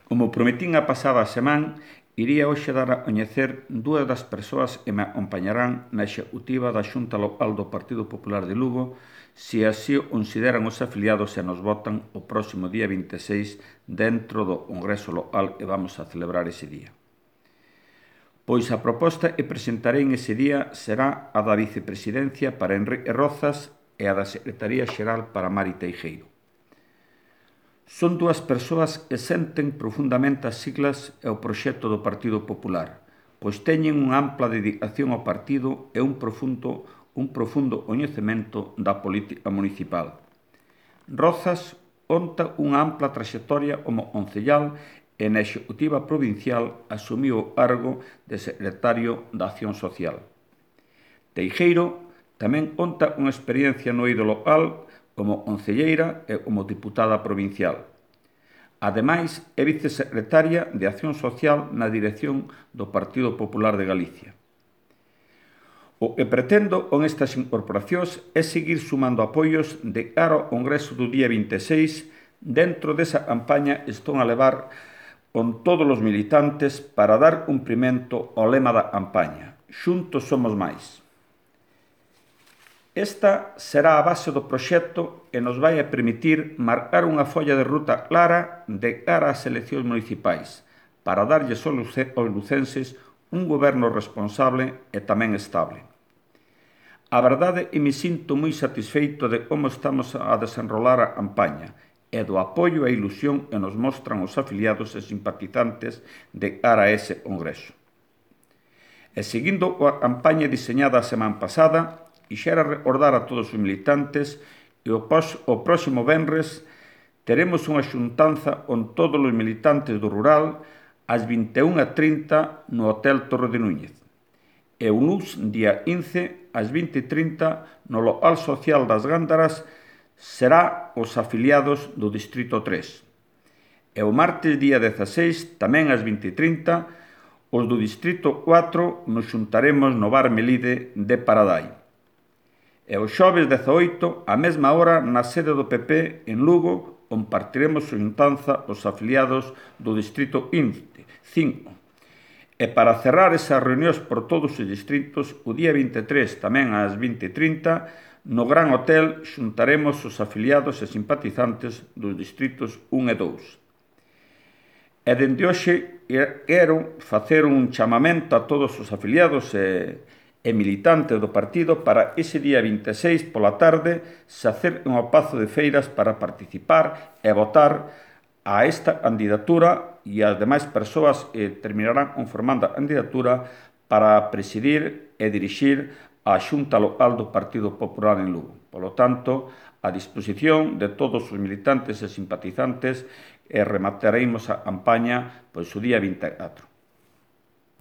Como prometín a pasada semana, iría hoxe dar a coñecer dúas das persoas que me acompañarán na executiva da Xunta Local do Partido Popular de Lugo, se así o consideran os afiliados e nos votan o próximo día 26 dentro do Congreso Local que vamos a celebrar ese día. Pois a proposta que presentarei ese día será a da vicepresidencia para Enrique Rozas e a da Secretaría Xeral para Mari Teijeiro. Son dúas persoas que senten profundamente as siglas e o proxecto do Partido Popular, pois teñen unha ampla dedicación ao partido e un profundo coñecemento da política municipal. Rozas conta unha ampla traxectoria como concellal e na executiva provincial asumiu o cargo de secretario da Acción Social. Teijeiro tamén conta unha experiencia no eido local como concelleira e como diputada provincial. Ademais, é vicesecretaria de Acción Social na dirección do Partido Popular de Galicia. O que pretendo con estas incorporacións é seguir sumando apoios de cara ao Congreso do día 26 dentro desa campaña que están a levar con todos os militantes para dar cumprimento ao lema da campaña: Xuntos somos máis. Esta será a base do proxecto que nos vai a permitir marcar unha folla de ruta clara de cara ás eleccións municipais para darlles aos lucenses un goberno responsable e tamén estable. A verdade é que me sinto moi satisfeito de como estamos a desenrolar a campaña e do apoio e a ilusión que nos mostran os afiliados e simpatizantes de cara a ese congreso. E seguindo a campaña diseñada a semana pasada, quixera recordar a todos os militantes que o próximo venres teremos unha xuntanza con todos os militantes do rural ás 21:30 no Hotel Torre de Núñez. E o luns, día 15, ás 20:30 no local social das Gándaras será os afiliados do Distrito 3. E o martes, día 16, tamén ás 20:30, os do Distrito 4 nos xuntaremos no Bar Melide de Paradai. E o xoves 18, a mesma hora, na sede do PP en Lugo, compartiremos a xuntanza os afiliados do Distrito 5. E para cerrar esas reunións por todos os distritos, o día 23, tamén ás 20:30, no Gran Hotel xuntaremos os afiliados e simpatizantes dos distritos 1 e 2. E dende hoxe quero facer un chamamento a todos os afiliados e militantes do partido para ese día 26 pola tarde se acerquen ao Pazo de Feiras para participar e votar a esta candidatura e as demais persoas que terminarán conformando a candidatura para presidir e dirixir a Xunta Local do Partido Popular en Lugo. Polo tanto, a disposición de todos os militantes e simpatizantes e remataremos a campaña pois o día 24.